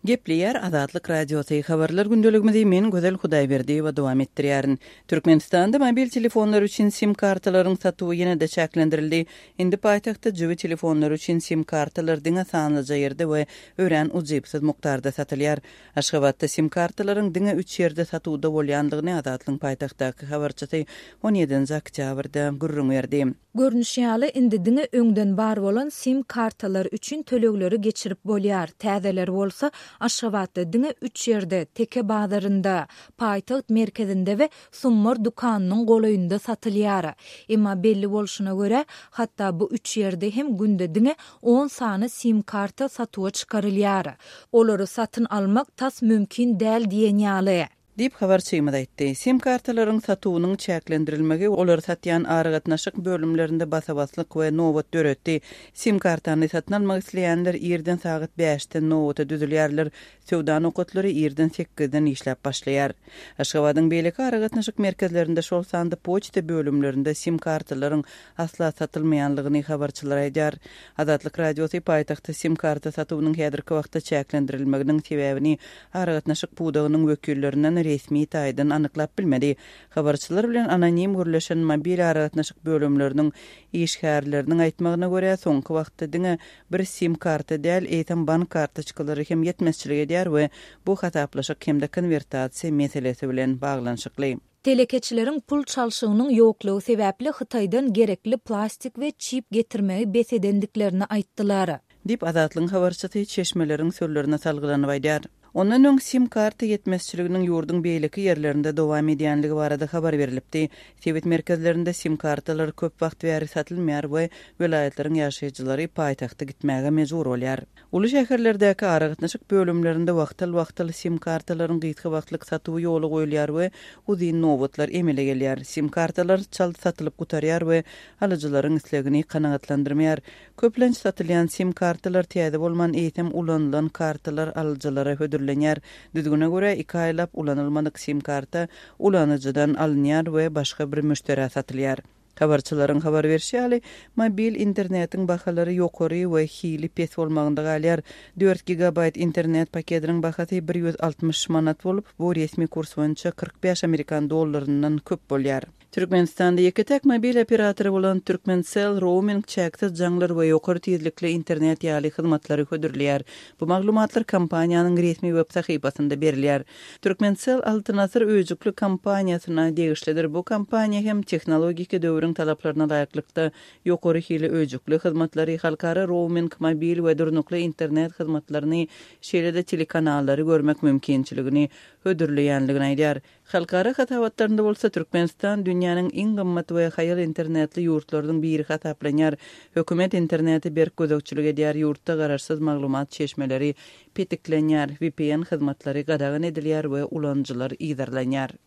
Gepleýär Azatlyk Radiosy, Habarlar gündeligimizi men Gözel Hudaýberdiýewa dowam etdirýärin. Türkmenistanda mobil telefonlar üçin sim kartalaryň satuwy ýene-de çäklendirildi. Indi paýtagtda jübi telefonlary üçin sim kartalar diňe sanlyja ýerde we örän ujypsyz mukdarda satylýar. Aşgabatda sim kartalaryň diňe üç ýerde satuwda bolýandygyny Azatlygyň paýtagtdaky habarçysy on ýedinji oktýabrda gürrüň berdi. Görnüşi ýaly, indi diňe öňden bar bolan sim kartalar üçin tölegleri geçirip bolýar, täzeleri bolsa Aşgabatda diňe üç ýerde, Teke bazarynda, paýtagt merkezinde we Summar dükanynyň golaýynda satylýar. Emma belli bolşuna görä, hatda bu üç ýerde hem günde diňe on sany sim karta satuwa çykarylýar. Olary satyn almak tas mümkin däl diýen ýaly. Diýip, habarçymyz aýtdy. Sim kartalaryň satuwynyň çäklendirilmegi olary satýan aragatnaşyk bölümlerinde basa-baslyk we nobat döretdi. Sim kartany satyn almak isleýänler irden sagat bäşden nobata düzülýärler, söwda nokatlary irden sekizden işläp başlaýar. Aşgabadyň beýleki aragatnaşyk merkezlerinde, şol sanda poçta bölümlerinde sim kartalaryň asla satylmaýanlygyny habarçylar aýdýar. Azatlyk Radiosy paýtagtda sim karta satuwynyň häzirki wagtda çäklendirilmeginiň sebäbini aragatnaşyk pudagynyň wekillerinden resmi taýdan anyklap bilmedi. Habarçylar bilen anonim gürleşen mobil aragatnaşyk bölümleriniň işgärleriniň aýtmagyna görä, soňky wagtda diňe bir sim karta däl, eýsem bank kartoçkalary hem ýetmezçilik edýär we bu hasaplaşyk hem-de konwertasiýa meselesi bilen baglanyşykly. Telekeçileriň pul çalşygynyň ýoklugy sebäpli Hytaýdan gerekli plastik we çip getirmegi bes edendiklerini aýtdylar. Diýip, Azatlygyň habarçysy çeşmeleriň sözlerine salgylanyp aýdýar. Ondan öň sim karta ýetmezçiliginiň ýurduň beýleki ýerlerinde dowam edýänligi barada habar berlipdi. Sebit merkezlerinde sim kartalar köp wagt bäri satylmaýar we welaýatlaryň ýaşaýjylary paýtagta gitmäge mejbur bolýar. Uly şäherlerdäki aragatnaşyk bölümlerinde wagtal-wagtal sim kartalaryň gysga wagtlyk satuwy ýola goýulýar we uzyn nobatlar emele gelýär. Sim kartalar çalt satylyp gutarýar we alyjylaryň islegini kanagatlandyrmaýar. Köplenç satylýan sim kartalar täze bolman, eýsem ulanylan kartalar alyjylara hödürlenýär. Düzgüne görä, iki aýlap ulanylmadyk sim karta ulanyjydan alynýar we başga bir müşderä satylýar. Habarçylaryň habar berşi ýaly, mobil internetiň bahalary ýokary we hili pes bolmagynda galýar. Dört gigabaýt internet pakediniň bahasy 160 manat bolup, bu resmi kurs boýunça 45 amerikan dollaryndan köp bolýar. Türkmenistanda ýeke-täk mobil operatory bolan Turkmencell rouming, çäksiz jaňlar we ýokary tizlikli internet ýaly hyzmatlary hödürleýär. Bu maglumatlar kompaniýanyň resmi web sahypasynda berilýär. Turkmencell Altyn Asyr öýjükli kompaniýasyna degişlidir. Bu kompaniýa hem tehnologiki döwrüň talaplaryna laýyklykda ýokary hili öýjükli hyzmatlary, halkara rouming, mobil we durnukly internet hyzmatlaryny, şeýle-de telekanallary görmek mümkinçiligini hödürleýänligini aýdýar. Halkara hasabatlarynda bolsa Türkmenistan dünýäniň iň gymmat we haýal internetli ýurtlarynyň biri hasaplanýar. Hökümet internete berk gözegçilik edýär, ýurtda garaşsyz maglumat çeşmeleri petiklenýär, vpn hyzmatlary gadagan edilýär we ulanyjylar yzarlanýar.